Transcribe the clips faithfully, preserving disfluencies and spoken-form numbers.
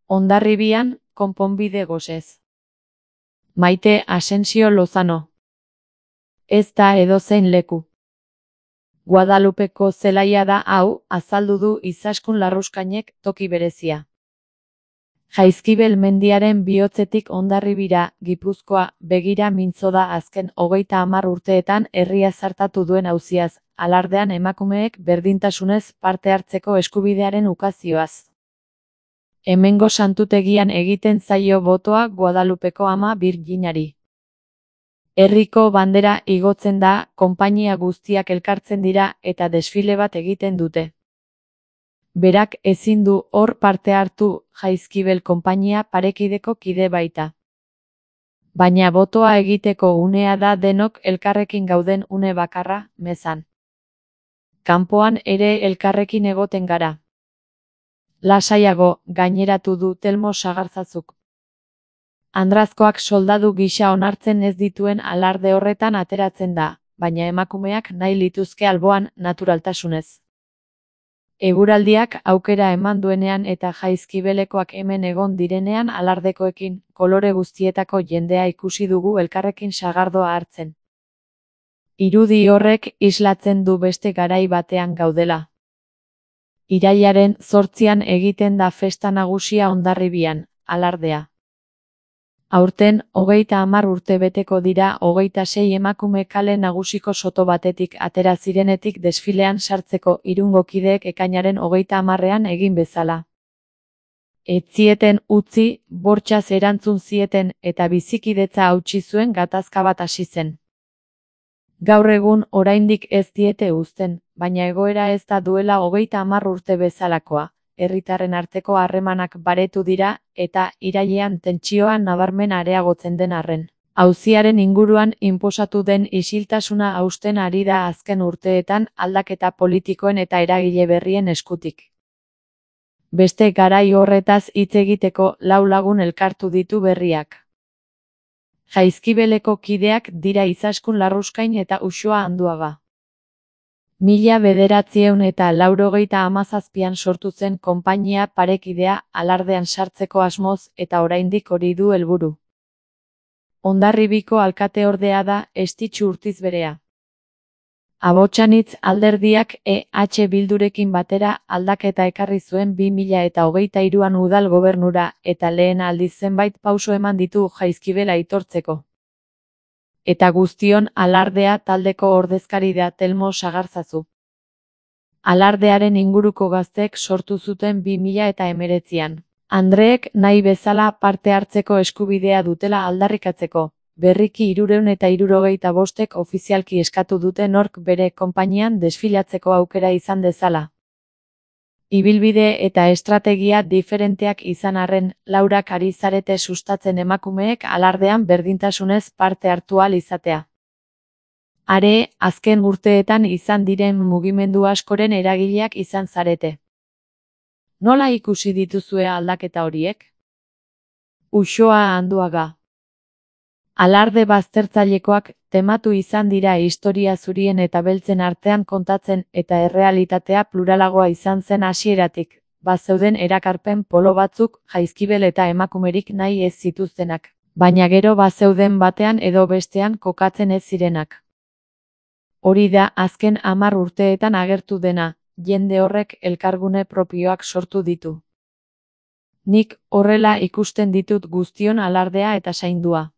Hondarribian, konponbide gosez. Maite Asensio Lozano. Ez da edozein leku. Guadalupeko zelaia da hau, azaldu du Izaskun Larruskainek toki berezia. Jaizkibel mendiaren bihotzetik Hondarribira, Gipuzkoa, begira mintzo da azken hogeita hamar urteetan herria zartatu duen auziaz, alardean emakumeek berdintasunez parte hartzeko eskubidearen ukazioaz. Hemengo santutegian egiten zaio botoa Guadalupeko Ama Birjinari. Herriko bandera igotzen da, konpainia guztiak elkartzen dira eta desfile bat egiten dute. Berak ezin du hor parte hartu, Jaizkibel konpainia parekideko kide baita. Baina botoa egiteko unea da denok elkarrekin gauden une bakarra, mezan. Kanpoan ere elkarrekin egoten gara. Lasaiago, gaineratu du Telmo Sagarzazuk. Andrazkoak soldadu gisa onartzen ez dituen alarde horretan ateratzen da, baina emakumeak nahi lituzke alboan naturaltasunez. Eguraldiak aukera eman duenean eta Jaizkibelekoak hemen egon direnean alardekoekin, kolore guztietako jendea ikusi dugu elkarrekin sagardoa hartzen. Irudi horrek islatzen du beste garai batean gaudela. Irailaren zortzian egiten da festa nagusia Hondarribian, alardea. Aurten, hogeita hamar urte beteko dira hogeita sei emakume kale nagusiko soto batetik atera zirenetik desfilean sartzeko Irungo kideek ekainaren hogeita hamarrean egin bezala. Ez zieten utzi, bortxaz erantzun zieten eta bizikidetza hautsi zuen gatazka bat hasi zen. Gaur egun oraindik ez diete uzten, baina egoera ez da duela hogeita hamar urte bezalakoa. Herritarren arteko harremanak baretu dira eta irailean tentsioa nabarmen areagotzen den arren. Auziaren inguruan inposatu den isiltasuna hausten ari da azken urteetan aldaketa politikoen eta eragile berrien eskutik. Beste garai horretaz hitz egiteko lau lagun elkartu ditu berriak. Jaizkibeleko kideak dira Izaskun Larruskain eta Uxoa Anduaga. Mila bederatziehun eta laurogeita hamazazpian sortu zen konpainia parekidea alardean sartzeko asmoz eta oraindik hori du helburu. Hondarribiko alkateordea da Estitxu Urtizberea. Abotsanitz alderdiak E H Bildurekin batera aldaketa ekarri zuen bi mila eta hogeita hiruan udal gobernura eta lehen aldiz zenbait pauso eman ditu Jaizkibel aitortzeko. Eta guztion alardea taldeko ordezkari da Telmo Sagarzazu. Alardearen inguruko gazteek sortu zuten bi mila eta hemeretzian. Andreek nahi bezala parte hartzeko eskubidea dutela aldarrikatzeko, berriki hirurehun eta hirurogeita bostek ofizialki eskatu dute nork bere konpainian desfilatzeko aukera izan dezala. Ibilbide eta estrategia diferenteak izan arren, laurak ari zarete sustatzen emakumeek alardean berdintasunez parte hartu ahal izatea. Are, azken urteetan izan diren mugimendu askoren eragileak izan zarete. Nola ikusi dituzue aldaketa horiek? Uxoa Anduaga. Alarde baztertzailekoak tematu izan dira historia zurien eta beltzen artean kontatzen eta errealitatea pluralagoa izan zen hasieratik, bazeuden erakarpen polo batzuk Jaizkibel eta emakumerik nahi ez zituztenak, baina gero bazeuden batean edo bestean kokatzen ez zirenak. Hori da azken hamar urteetan agertu dena, jende horrek elkargune propioak sortu ditu. Nik horrela ikusten ditut guztion alardea eta zaindua.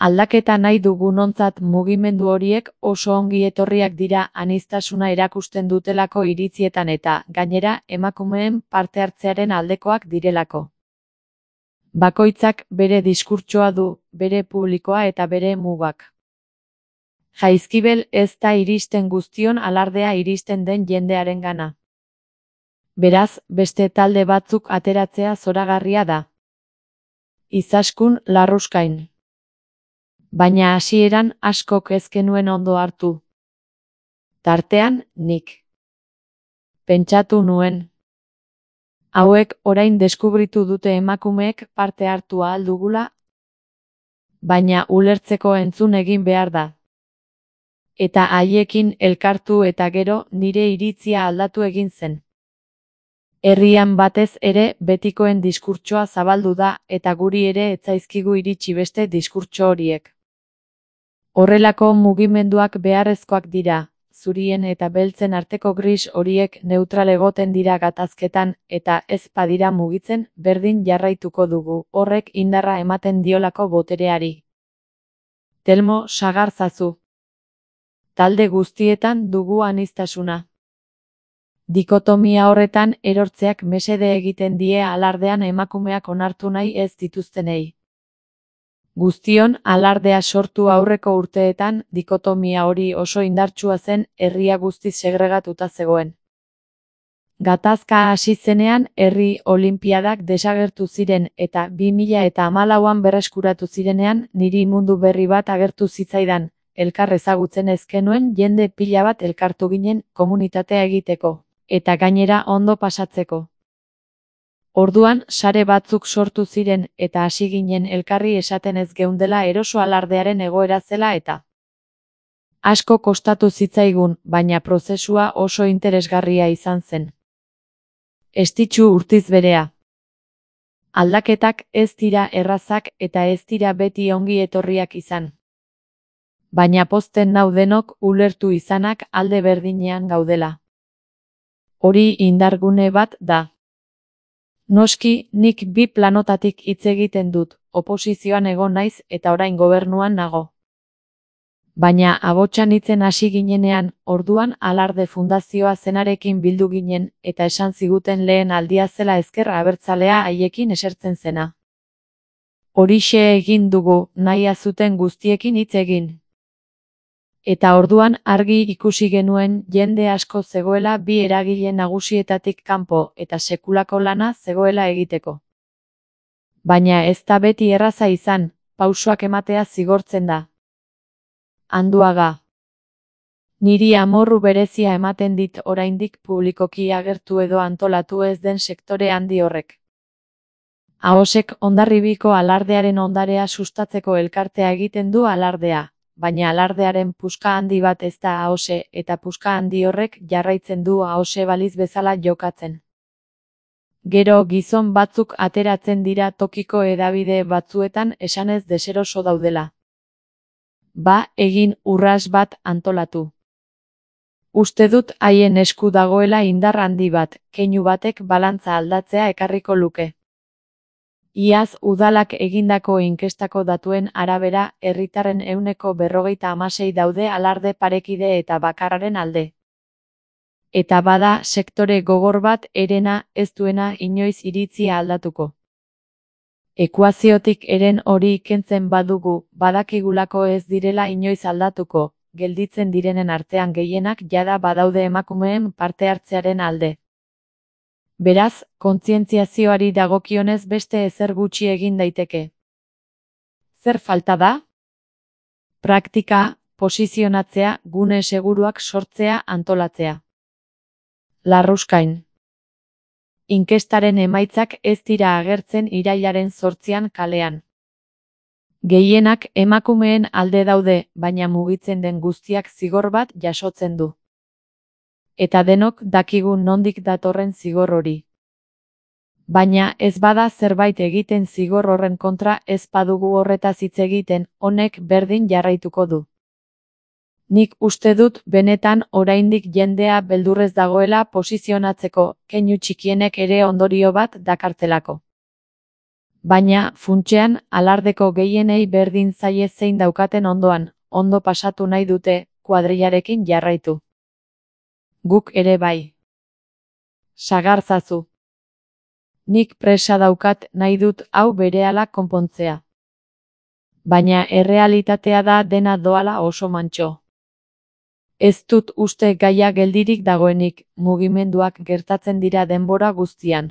Aldaketa nahi dugunontzat mugimendu horiek oso ongi etorriak dira aniztasuna erakusten dutelako iritzietan eta, gainera, emakumeen parte hartzearen aldekoak direlako. Bakoitzak bere diskurtsoa du, bere publikoa eta bere mugak. Jaizkibel ez da iristen guztion alardea iristen den jendearengana. Beraz, beste talde batzuk ateratzea zoragarria da. Izaskun Larruskain. Baina hasieran askok ez genuen ondo hartu. Tartean, nik. Pentsatu nuen. Hauek orain deskubritu dute emakumeek parte hartu ahal dugula, baina ulertzeko entzun egin behar da. Eta haiekin elkartu eta gero nire iritzia aldatu egin zen. Herrian batez ere betikoen diskurtsoa zabaldu da eta guri ere ez zaizkigu iritsi beste diskurtso horiek. Horrelako mugimenduak beharrezkoak dira, zurien eta beltzen arteko gris horiek neutral egoten dira gatazketan eta ez badira mugitzen berdin jarraituko dugu, horrek indarra ematen diolako botereari. Telmo Sagarzazu. Talde guztietan dugu aniztasuna. Dikotomia horretan erortzeak mesede egiten die alardean emakumeak onartu nahi ez dituztenei. Guztion alardea sortu aurreko urteetan dikotomia hori oso indartsua zen, herria guztiz segregatuta zegoen. Gatazka hasi zenean herri olinpiadak desagertu ziren eta bi mila eta hamalauan berreskuratu zirenean niri mundu berri bat agertu zitzaidan, elkar ezagutzen ez genuen jende pila bat elkartu ginen komunitatea egiteko, eta gainera ondo pasatzeko. Orduan sare batzuk sortu ziren eta hasi ginen elkarri esaten ez geundela eroso alardearen egoera zela eta asko kostatu zitzaigun, baina prozesua oso interesgarria izan zen. Estitxu Urtiz Berea. Aldaketak ez dira errazak eta ez dira beti ongi etorriak izan. Baina pozten nau denok ulertu izanak alde berdinean gaudela. Hori indargune bat da. Noski, nik bi planotatik hitz egiten dut, oposizioan egon naiz eta orain gobernuan nago. Baina abotsan hitzen hasi ginenean, orduan Alarde Fundazioa zenarekin bildu ginen eta esan ziguten lehen aldia zela ezker abertzalea haiekin esertzen zena. Horixe egin dugu, nahia zuten guztiekin hitz egin. Eta orduan argi ikusi genuen jende asko zegoela bi eragile nagusietatik kanpo eta sekulako lana zegoela egiteko. Baina ez da beti erraza izan, pausoak ematea zigortzen da. Anduaga. Niri amorru berezia ematen dit oraindik publikoki agertu edo antolatu ez den sektore handi horrek. Ahosek Hondarribiko alardearen ondarea sustatzeko elkartea egiten du alardea. Baina alardearen puska handi bat ez da ahose eta puska handi horrek jarraitzen du ahose baliz bezala jokatzen. Gero gizon batzuk ateratzen dira tokiko hedabide batzuetan esanez deseroso daudela. Ba, egin urras bat antolatu. Uste dut haien esku dagoela indar handi bat, keinu batek balantza aldatzea ekarriko luke. Iaz udalak egindako inkestako datuen arabera, herritarren ehuneko berrogeita hamasei daude alarde parekide eta bakarraren alde. Eta bada sektore gogor bat herena ez duena inoiz iritzia aldatuko. Ekuaziotik eren hori kentzen badugu, badakigulako ez direla inoiz aldatuko, gelditzen direnen artean gehienak jada badaude emakumeen parte hartzearen alde. Beraz, kontzientziazioari dagokionez beste ezer gutxi egin daiteke. Zer falta da? Praktika, posizionatzea, gune seguruak sortzea, antolatzea. Larruskain. Inkestaren emaitzak ez dira agertzen irailaren zortzian kalean. Gehienak emakumeen alde daude, baina mugitzen den guztiak zigor bat jasotzen du. Eta denok dakigu nondik datorren zigor hori. Baina ez bada zerbait egiten zigor horren kontra ez badugu horretaz hitz egiten, honek berdin jarraituko du. Nik uste dut benetan oraindik jendea beldurrez dagoela posizionatzeko, keinu txikienek ere ondorio bat dakartelako. Baina, funtsean, alardeko gehienei berdin zaie zein daukaten ondoan, ondo pasatu nahi dute, kuadrillarekin jarraitu. Guk ere bai. Sagarzazu. Nik presa daukat nahi dut hau berehala konpontzea. Baina errealitatea da dena doala oso mantxo. Ez dut uste gaia geldirik dagoenik, mugimenduak gertatzen dira denbora guztian.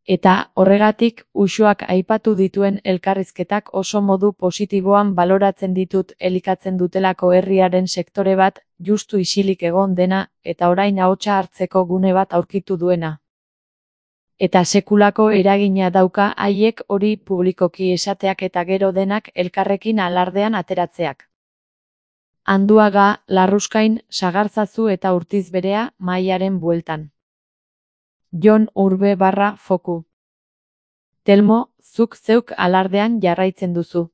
Eta horregatik uxuak aipatu dituen elkarrizketak oso modu positiboan baloratzen ditut elikatzen dutelako herriaren sektore bat, justu isilik egon dena, eta orain ahotsa hartzeko gune bat aurkitu duena. Eta sekulako eragina dauka haiek hori publikoki esateak eta gero denak elkarrekin alardean ateratzeak. Anduaga, Larruskain, Sagarzazu eta Urtiz Berea, mahaiaren bueltan. Jon Urbe barra foku. Telmo, zuk zeuk alardean jarraitzen duzu.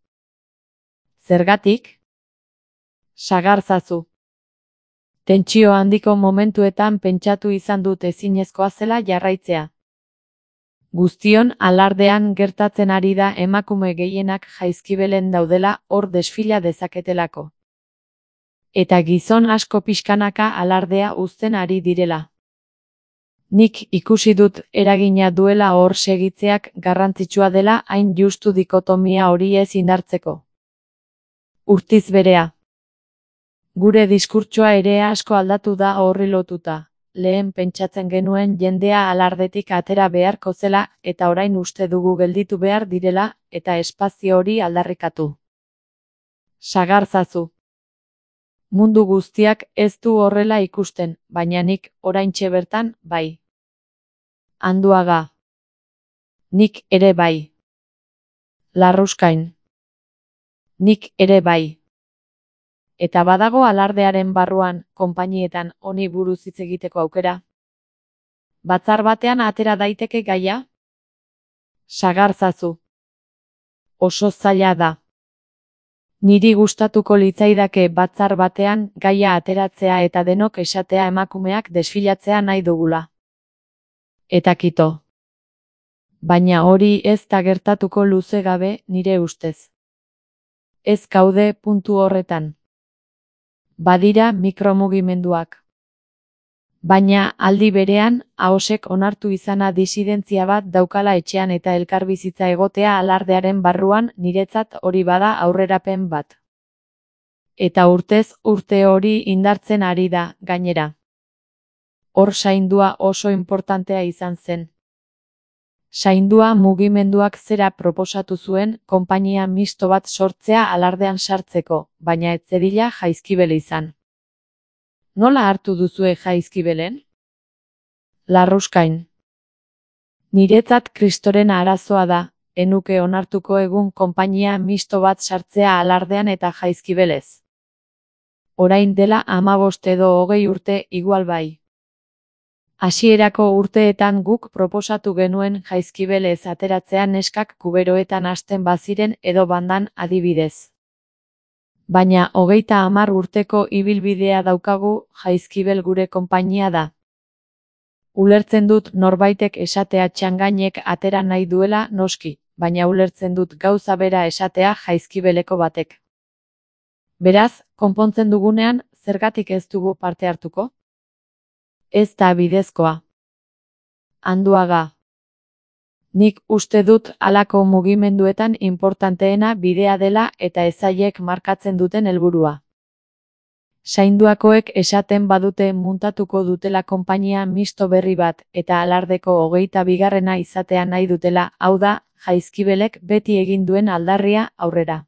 Zergatik? Sagarzazu. Tentsio handiko momentuetan pentsatu izan dut ezinezkoa zela jarraitzea. Guztion alardean gertatzen ari da emakume gehienak jaizkibelen daudela hor desfila dezaketelako. Eta gizon asko pixkanaka alardea uzten ari direla. Nik ikusi dut eragina duela hor segitzeak garrantzitsua dela hain justu dikotomia hori ez indartzeko. Urtiz berea. Gure diskurtsoa ere asko aldatu da horri lotuta. Lehen pentsatzen genuen jendea alardetik atera beharko zela eta orain uste dugu gelditu behar direla eta espazio hori aldarrikatu. Sagarzazu. Mundu guztiak ez du horrela ikusten, baina nik oraintxe bertan bai. Anduaga. Nik ere bai. Larruskain. Nik ere bai. Eta badago alardearen barruan, konpainietan honi buruz hitz egiteko aukera. Batzar batean atera daiteke gaia? Sagarzazu. Oso zaila da. Niri gustatuko litzaidake batzar batean gaia ateratzea eta denok esatea emakumeak desfilatzea nahi dugula. Eta kito. Baina hori ez da gertatuko luze gabe nire ustez. Ez gaude puntu horretan. Badira mikromugimenduak. Baina aldi berean, ahosek onartu izana disidentzia bat daukala etxean eta elkarbizitza egotea alardearen barruan niretzat hori bada aurrerapen bat. Eta urtez urte hori indartzen ari da, gainera. Hor zaindua oso importantea izan zen. Zaindua mugimenduak zera proposatu zuen konpainia misto bat sortzea alardean sartzeko, baina ez zedila Jaizkibel izan. Nola hartu duzue Jaizkibelen? Larruskain. Niretzat kristoren arazoa da, enuke onartuko egun konpainia misto bat sartzea alardean eta Jaizkibelez. Orain dela hamabost edo hogei urte igual bai. Hasierako urteetan guk proposatu genuen Jaizkibelez ateratzea neskak kuberoetan hasten baziren edo bandan adibidez. Baina hogeita hamar urteko ibilbidea daukagu Jaizkibel gure konpainia da. Ulertzen dut norbaitek esatea txangainek atera nahi duela noski, baina ulertzen dut gauza bera esatea Jaizkibeleko batek. Beraz, konpontzen dugunean, zergatik ez dugu parte hartuko? Ez da bidezkoa. Anduaga. Nik uste dut halako mugimenduetan importanteena bidea dela eta ezaiek markatzen duten helburua. Zainduakoek esaten badute muntatuko dutela konpainia misto berri bat eta alardeko hogeita bigarrena izatea nahi dutela, hau da, Jaizkibelek beti egin duen aldarria aurrera.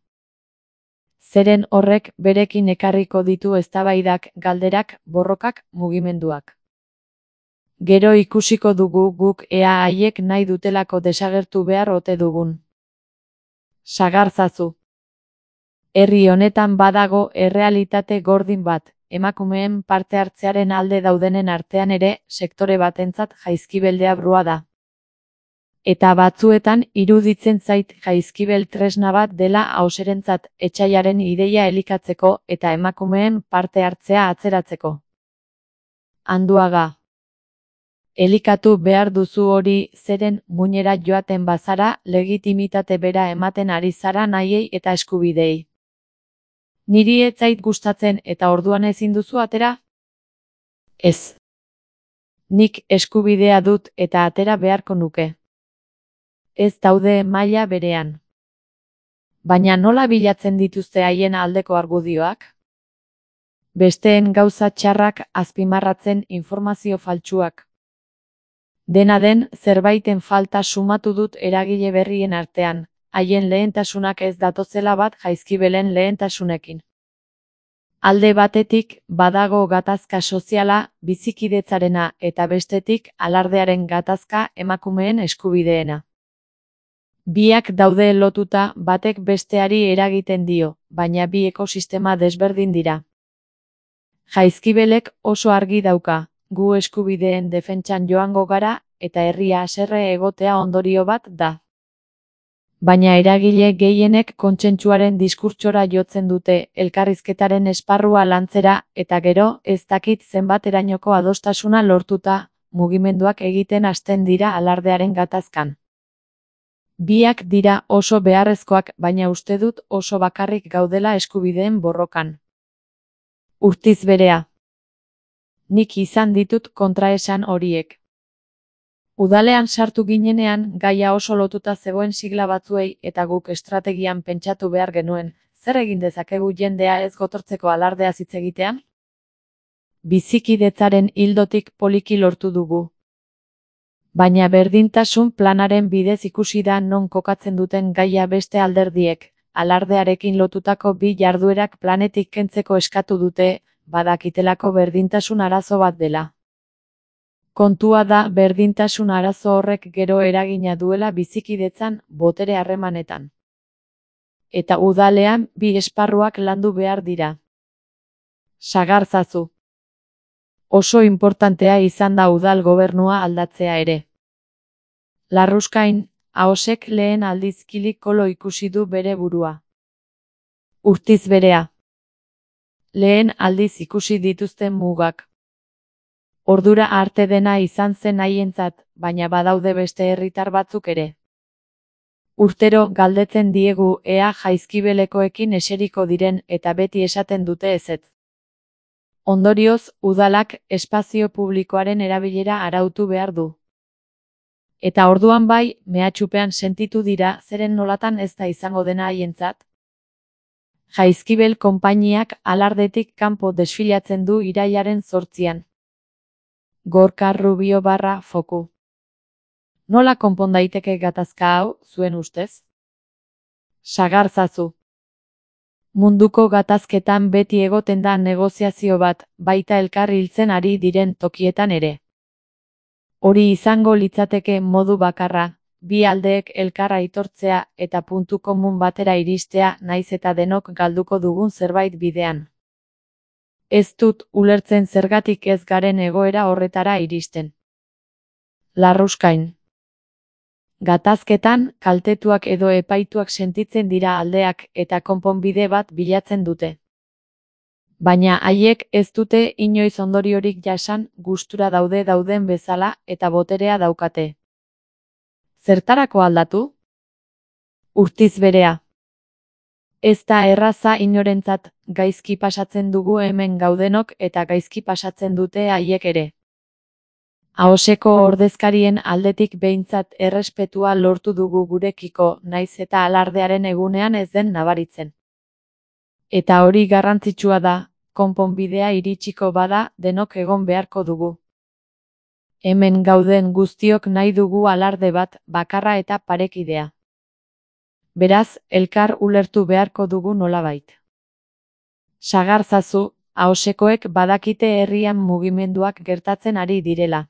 Zeren horrek berekin ekarriko ditu eztabaidak, galderak, borrokak, mugimenduak. Gero ikusiko dugu guk ea haiek nahi dutelako desagertu behar ote dugun. Sagarzazu. Herri honetan badago errealitate gordin bat, emakumeen parte hartzearen alde daudenen artean ere sektore batentzat Jaizkibel deabrua da. Eta batzuetan iruditzen zait Jaizkibel tresna bat dela ahoserentzat etsaiaren ideia elikatzeko eta emakumeen parte hartzea atzeratzeko. Anduaga. Elikatu behar duzu hori zeren muinera joaten bazara legitimitate bera ematen ari zara nahiei eta eskubidei. Niri ez zait gustatzen eta orduan ezin duzu atera? Ez. Nik eskubidea dut eta atera beharko nuke. Ez daude maila berean. Baina nola bilatzen dituzte haien aldeko argudioak? Besteen gauza txarrak azpimarratzen informazio faltsuak. Dena den, zerbaiten falta sumatu dut eragile berrien artean, haien lehentasunak ez datozela bat Jaizkibelen lehentasunekin. Alde batetik, badago gatazka soziala, bizikidetzarena eta bestetik, alardearen gatazka emakumeen eskubideena. Biak daude lotuta batek besteari eragiten dio, baina bi ekosistema desberdin dira. Jaizkibelek oso argi dauka. Gu eskubideen defentsan joango gara, eta herria haserre egotea ondorio bat da. Baina eragile gehienek kontsentsuaren diskurtsora jotzen dute, elkarrizketaren esparrua lantzera, eta gero, ez dakit zenbaterainoko adostasuna lortuta, mugimenduak egiten hasten dira alardearen gatazkan. Biak dira oso beharrezkoak, baina uste dut oso bakarrik gaudela eskubideen borrokan. Urtiz berea. Nik izan ditut kontraesan horiek. Udalean sartu ginenean, gaia oso lotuta zegoen sigla batzuei eta guk estrategian pentsatu behar genuen, zer egin dezakegu jendea ez gotortzeko alardea hitz egitean? Bizikidetzaren ildotik poliki lortu dugu. Baina berdintasun planaren bidez ikusi da non kokatzen duten gaia beste alderdiek, alardearekin lotutako bi jarduerak planetik kentzeko eskatu dute, badakitelako berdintasun arazo bat dela. Kontua da berdintasun arazo horrek gero eragina duela bizikidetzan, botere harremanetan. Eta udalean bi esparruak landu behar dira. Sagarzazu. Oso inportantea izan da udal gobernua aldatzea ere. Larruskain, Ahosek lehen aldiz kili kolo ikusi du bere burua. Urtiz berea. Lehen aldiz ikusi dituzten mugak. Ordura arte dena izan zen haientzat, baina badaude beste herritar batzuk ere. Urtero galdetzen diegu ea Jaizkibelekoekin eseriko diren eta beti esaten dute ezetz. Ondorioz, udalak espazio publikoaren erabilera arautu behar du. Eta orduan bai, mehatxupean sentitu dira zeren nolatan ez da izango dena haientzat. Jaizkibel konpainiak alardetik kanpo desfilatzen du irailaren zortzian. Gorka Rubio barra foku. Nola konpon daiteke gatazka hau, zuen ustez? Sagarzazu. Munduko gatazketan beti egoten da negoziazio bat, baita elkar hiltzen ari diren tokietan ere. Hori izango litzateke modu bakarra, bi aldeek elkar aitortzea eta puntu komun batera iristea naiz eta denok galduko dugun zerbait bidean. Ez dut ulertzen zergatik ez garen egoera horretara iristen. Larruskain. Gatazketan, kaltetuak edo epaituak sentitzen dira aldeak eta konponbide bat bilatzen dute. Baina haiek ez dute inoiz ondoriorik jasan, gustura daude dauden bezala eta boterea daukate. Zertarako aldatu? Urtiz berea. Ez da erraza inorentzat, gaizki pasatzen dugu hemen gaudenok eta gaizki pasatzen dute haiek ere. Ahoseko ordezkarien aldetik behintzat errespetua lortu dugu gurekiko, naiz eta alardearen egunean ez den nabaritzen. Eta hori garrantzitsua da, konponbidea iritsiko bada denok egon beharko dugu. Hemen gauden guztiok nahi dugu alarde bat, bakarra eta parekidea. Beraz, elkar ulertu beharko dugu nolabait. Sagarzazu, Ahosekoek badakite herrian mugimenduak gertatzen ari direla.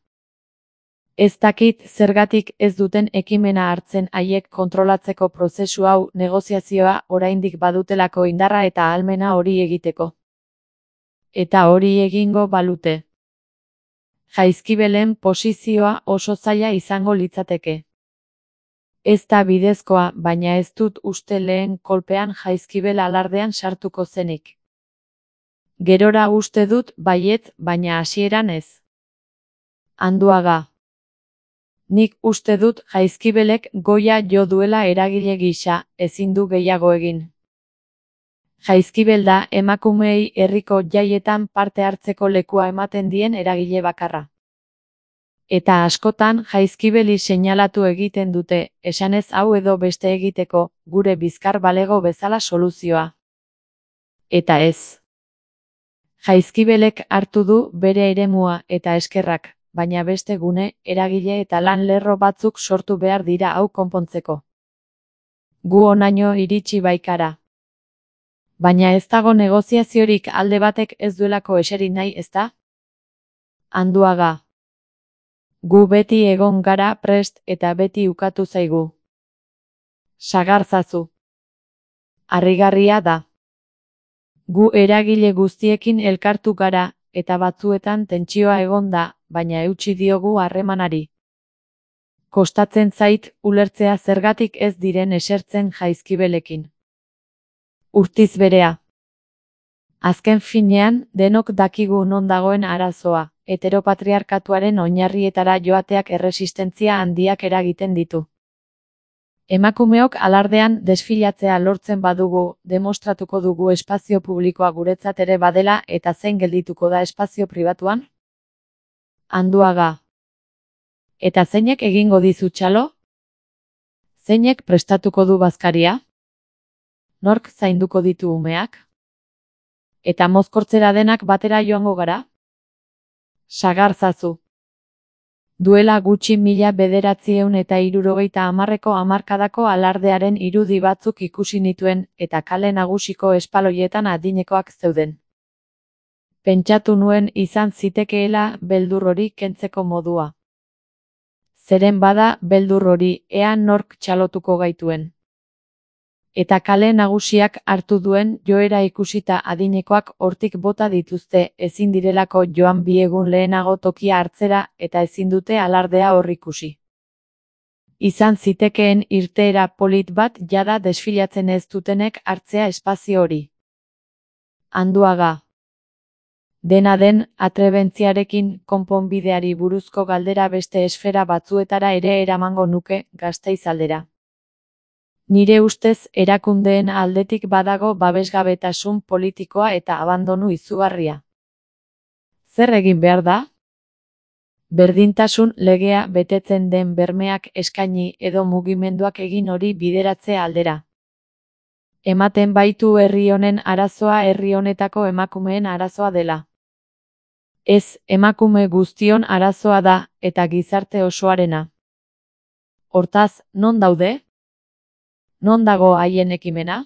Ez dakit zergatik ez duten ekimena hartzen haiek kontrolatzeko prozesu hau negoziazioa oraindik badutelako indarra eta ahalmena hori egiteko. Eta hori egingo balute. Jaizkibelen posizioa oso zaila izango litzateke. Ez da bidezkoa, baina ez dut uste lehen kolpean Jaizkibel alardean sartuko zenik. Gerora uste dut baietz, baina hasieran ez. Anduaga. Nik uste dut Jaizkibelek goia jo duela eragile gisa, ezin du gehiago egin. Jaizkibel da emakumeei herriko jaietan parte hartzeko lekua ematen dien eragile bakarra. Eta askotan Jaizkibeli seinalatu egiten dute, esanez hau edo beste egiteko, gure bizkar balego bezala soluzioa. Eta ez. Jaizkibelek hartu du bere eremua eta eskerrak, baina beste gune, eragile eta lan lerro batzuk sortu behar dira hau konpontzeko. Gu honaino iritsi baikara. Baina ez dago negoziaziorik alde batek ez duelako eseri nahi, ezta? Anduaga. Gu beti egon gara prest eta beti ukatu zaigu. Sagarzazu. Harrigarria da. Gu eragile guztiekin elkartu gara, eta batzuetan tentsioa egon da, baina eutsi diogu harremanari. Kostatzen zait ulertzea zergatik ez diren esertzen Jaizkibelekin. Urtiz berea. Azken finean, denok dakigu non dagoen arazoa, heteropatriarkatuaren oinarrietara joateak erresistentzia handiak eragiten ditu. Emakumeok alardean desfilatzea lortzen badugu, demostratuko dugu espazio publikoa guretzat ere badela eta zein geldituko da espazio pribatuan? Anduaga. Eta zeinek egingo dizu txalo? Zeinek prestatuko du bazkaria? Nork zainduko ditu umeak? Eta mozkortzera denak batera joango gara? Sagarzazu. Duela gutxi mila bederatziehun eta hirurogeita hamarreko hamarkadako alardearen irudi batzuk ikusi nituen eta kale nagusiko espaloietan adinekoak zeuden. Pentsatu nuen izan zitekeela beldur hori kentzeko modua. Zeren bada beldur hori ea nork txalotuko gaituen. Eta kale nagusiak hartu duen joera ikusita adinekoak hortik bota dituzte ezin direlako joan bi egun lehenago tokia hartzera eta ezin dute alardea hor ikusi. Izan zitekeen irteera polit bat jada desfilatzen ez dutenek hartzea espazio hori. Anduaga. Dena den, atrebentziarekin konponbideari buruzko galdera beste esfera batzuetara ere eramango nuke Gasteiz aldera. Nire ustez erakundeen aldetik badago babesgabetasun politikoa eta abandonu izugarria. Zer egin behar da? Berdintasun legea betetzen den bermeak eskaini edo mugimenduak egin hori bideratze aldera. Ematen baitu herri honen arazoa herri honetako emakumeen arazoa dela. Ez, emakume guztion arazoa da eta gizarte osoarena. Hortaz, non daude? Non dago haien ekimena?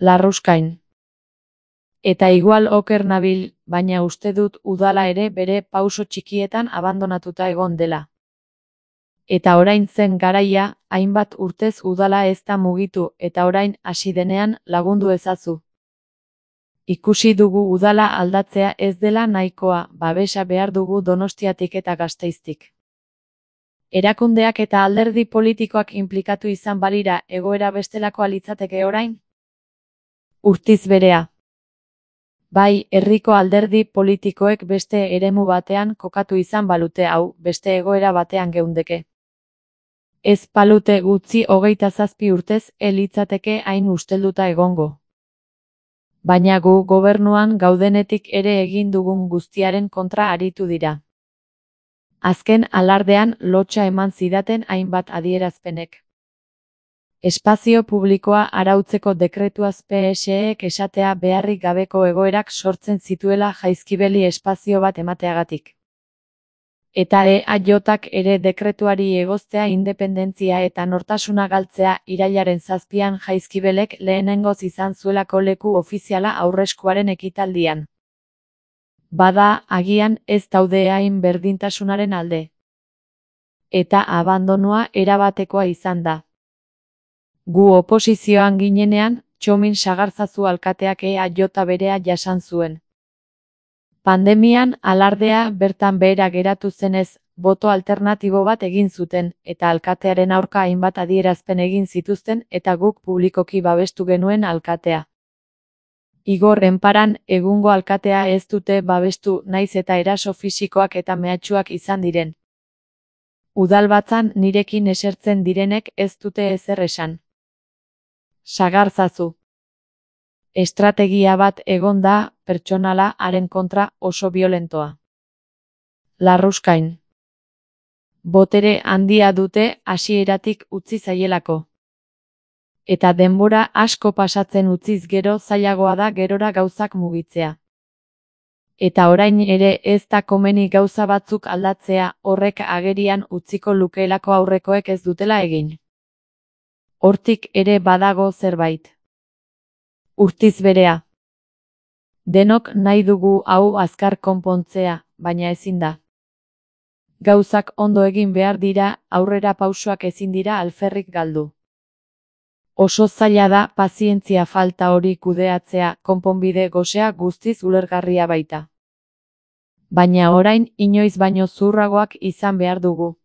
Larruskain. Eta igual oker nabil, baina uste dut udala ere bere pauso txikietan abandonatuta egon dela. Eta orain zen garaia, hainbat urtez udala ez da mugitu eta orain hasi denean lagundu ezazu. Ikusi dugu udala aldatzea ez dela nahikoa, babesa behar dugu Donostiatik eta Gasteiztik. Erakundeak eta alderdi politikoak inplikatu izan balira egoera bestelakoa litzateke orain? Urtiz berea. Bai, herriko alderdi politikoek beste eremu batean kokatu izan balute hau, beste egoera batean geundeke. Ez palute gutxi hogeita zazpi urtez elitzateke hain ustelduta egongo. Baina gu gobernuan gaudenetik ere egin dugun guztiaren kontra aritu dira. Azken alardean lotsa eman zidaten hainbat adierazpenek. Espazio publikoa arautzeko dekretuaz P S Ek esatea beharrik gabeko egoerak sortzen zituela Jaizkibeli espazio bat emateagatik. Eta E A Jak ere dekretuari egoztea independentzia eta nortasuna galtzea irailaren zazpian Jaizkibelek lehenengoz izan zuelako leku ofiziala aurreskuaren ekitaldian. Bada, agian ez daude hain berdintasunaren alde. Eta abandonua erabatekoa izan da. Gu oposizioan ginenean, Txomin Sagarzazu alkateak E A J berea jasan zuen. Pandemian alardea bertan behera geratu zenez, boto alternatibo bat egin zuten, eta alkatearen aurka hainbat adierazpen egin zituzten eta guk publikoki babestu genuen alkatea. Igor Enparan egungo alkatea ez dute babestu naiz eta eraso fisikoak eta mehatxuak izan diren. Udalbatzan nirekin esertzen direnek ez dute ezer esan. Sagarzazu. Estrategia bat egon da, pertsonala haren kontra oso violentoa. Larruskain. Botere handia dute hasieratik utzi zaielako. Eta denbora asko pasatzen utziz gero zailagoa da gerora gauzak mugitzea. Eta orain ere ez da komeni gauza batzuk aldatzea, horrek agerian utziko lukeelako aurrekoek ez dutela egin. Hortik ere badago zerbait. Urtiz berea. Denok nahi dugu hau azkar konpontzea, baina ezin da. Gauzak ondo egin behar dira, aurrera pausoak ezin dira alferrik galdu. Oso zaila da pazientzia falta hori kudeatzea, konponbide gosea guztiz ulergarria baita. Baina orain inoiz baino zuhurragoak izan behar dugu.